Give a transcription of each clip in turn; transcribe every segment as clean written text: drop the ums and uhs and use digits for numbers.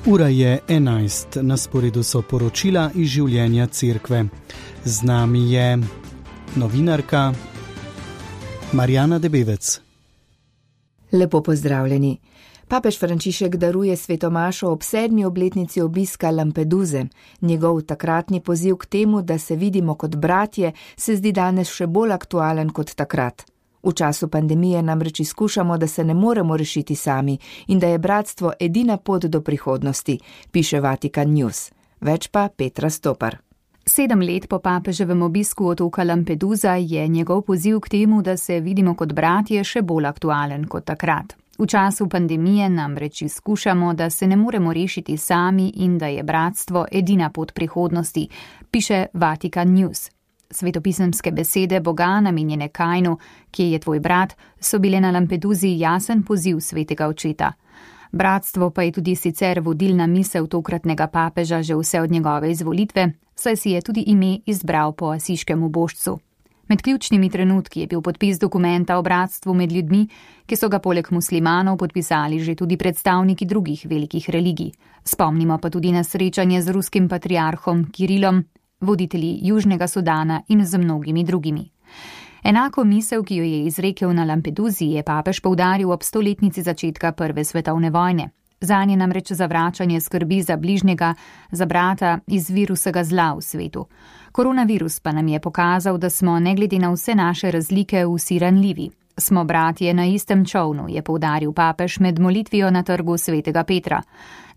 Ura je 11, na sporedu so poročila iz življenja cerkve. Z nami je novinarka Marjana Debevec. Lepo pozdravljeni. Papež Frančišek daruje svetomašo ob 7. obletnici obiska Lampeduze. Njegov takratni poziv k temu, da se vidimo kot bratje, se zdi danes še bolj aktualen kot takrat. V času pandemije namreč izkušamo, da se ne moremo rešiti sami in da je bratstvo edina pot do prihodnosti, piše Vatikan News. Več pa Petra Stopar. 7 let po papeževem obisku otoka Lampedusa je njegov poziv k temu, da se vidimo kot bratje, še bolj aktualen kot takrat. V času pandemije namreč izkušamo, da se ne moremo rešiti sami in da je bratstvo edina pot prihodnosti, piše Vatikan News. Svetopisemske besede Boga namenjene Kainu, ki je tvoj brat, so bile na Lampeduzi jasen poziv svetega očeta. Bratstvo pa je tudi sicer vodilna misel tokratnega papeža že vse od njegove izvolitve, saj si je tudi ime izbral po asiškem ubožcu. Med ključnimi trenutki je bil podpis dokumenta o bratstvu med ljudmi, ki so ga poleg muslimanov podpisali že tudi predstavniki drugih velikih religij. Spomnimo pa tudi na srečanje z ruskim patriarhom Kirilom, voditelji Južnega Sudana in z mnogimi drugimi. Enako misel, ki jo je izrekel na Lampeduzi, je papež poudaril ob 100-letnici začetka Prve svetovne vojne. Zanje namreč zavračanje skrbi za bližnjega, za brata iz virusega zla v svetu. Koronavirus pa nam je pokazal, da smo ne glede na vse naše razlike vsi ranljivi. Smo bratje na istem čovnu, je poudaril papež med molitvijo na trgu svetega Petra.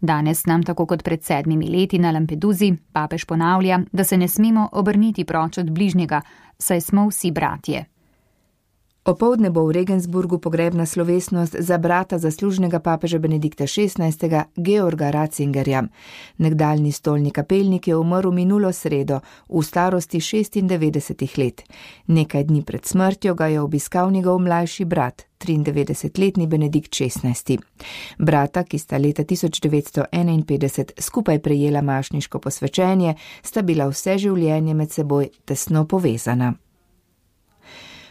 Danes nam, tako kot pred 7 leti na Lampeduzi, papež ponavlja, da se ne smemo obrniti proč od bližnjega, saj smo vsi bratje. Opoldne bo v Regensburgu pogrebna slovesnost za brata zaslužnega papeža Benedikta XVI. Georga Ratzingerja. Nekdaljni stolni kapelnik je umrl minulo sredo v starosti 96 let. Nekaj dni pred smrtjo ga je obiskal njegov mlajši brat, 93-letni Benedikt XVI. Brata, ki sta leta 1951 skupaj prejela mašniško posvečenje, sta bila vse življenje med seboj tesno povezana.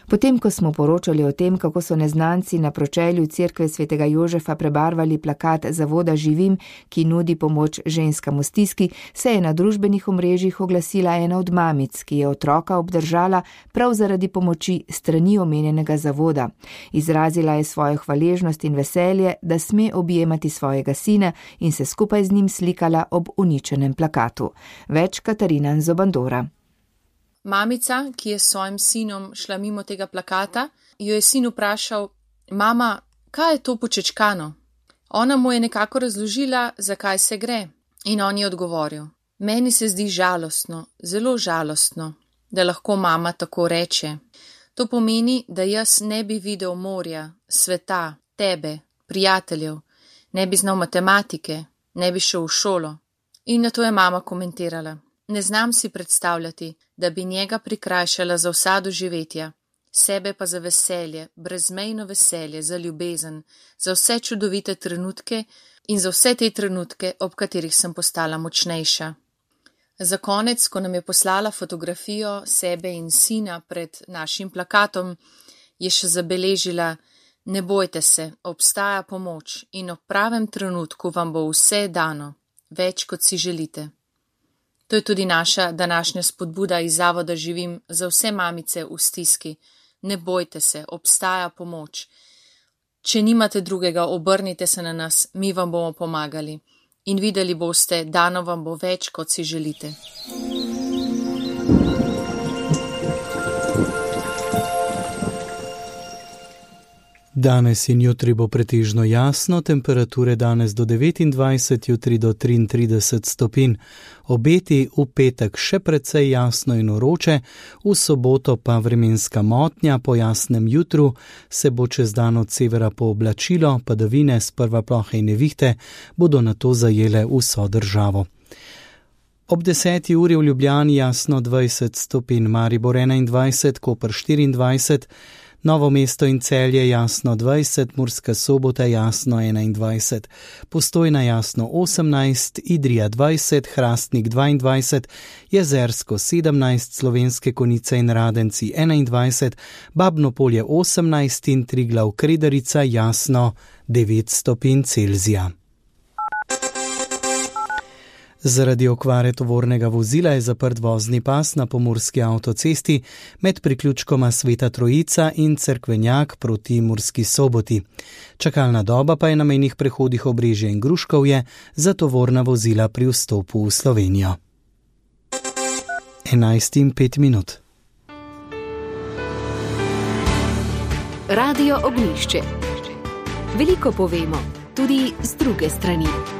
Potem, ko smo poročali o tem, kako so neznanci na pročelju cerkve svetega Jožefa prebarvali plakat Zavoda Živim, ki nudi pomoč ženskam v stiski, se je na družbenih omrežjih oglasila ena od mamic, ki je otroka obdržala prav zaradi pomoči strani omenjenega zavoda. Izrazila je svojo hvaležnost in veselje, da sme objemati svojega sina in se skupaj z njim slikala ob uničenem plakatu. Več Katarina Zobandora. Mamica, ki je s svojim sinom šla mimo tega plakata, jo je sin vprašal: Mama, kaj je to počečkano? Ona mu je nekako razložila, zakaj se gre. In on je odgovoril: Meni se zdi žalostno, zelo žalostno, da lahko mama tako reče. To pomeni, da jaz ne bi videl morja, sveta, tebe, prijateljev, ne bi znal matematike, ne bi šel v šolo. In na to je mama komentirala: Ne znam si predstavljati, da bi njega prikrajšala za vsa doživetja, sebe pa za veselje, brezmejno veselje, za ljubezen, za vse čudovite trenutke in za vse te trenutke, ob katerih sem postala močnejša. Za konec, ko nam je poslala fotografijo sebe in sina pred našim plakatom, je še zabeležila: Ne bojte se, obstaja pomoč in ob pravem trenutku vam bo vse dano, več kot si želite. To je tudi naša današnja spodbuda iz Zavoda Živim za vse mamice v stiski. Ne bojte se, obstaja pomoč. Če nimate drugega, obrnite se na nas, mi vam bomo pomagali. In videli boste, dano vam bo več, kot si želite. Danes in jutri bo pretežno jasno, temperature danes do 29, jutri do 33 stopinj. Obeti v petek še precej jasno in vroče, v soboto pa vremenska motnja, po jasnem jutru se bo čez dan od severa pooblačilo, padavine, sprva plohe in nevihte bodo nato zajele vso državo. Ob 10. uri v Ljubljani jasno 20 stopinj, Maribor 21, Koper 24, Novo mesto in Celje jasno 20, Murska Sobota jasno 21, Postojna jasno 18, Idrija 20, Hrastnik 22, Jezersko 17, Slovenske Konjice in Radenci 21, Babno Polje 18 in Triglav Kredarica jasno 9 stopinj Celzija. Zaradi okvare tovornega vozila je zaprt vozni pas na pomurski avtocesti med priključkoma Sveta Trojica in Cerkvenjak proti Murski Soboti. Čakalna doba pa je na mejnih prehodih Obrežje in Gruškovje za tovorna vozila pri vstopu v Slovenijo. 11:05. Radio Ognjišče. Veliko povemo, tudi z druge strani.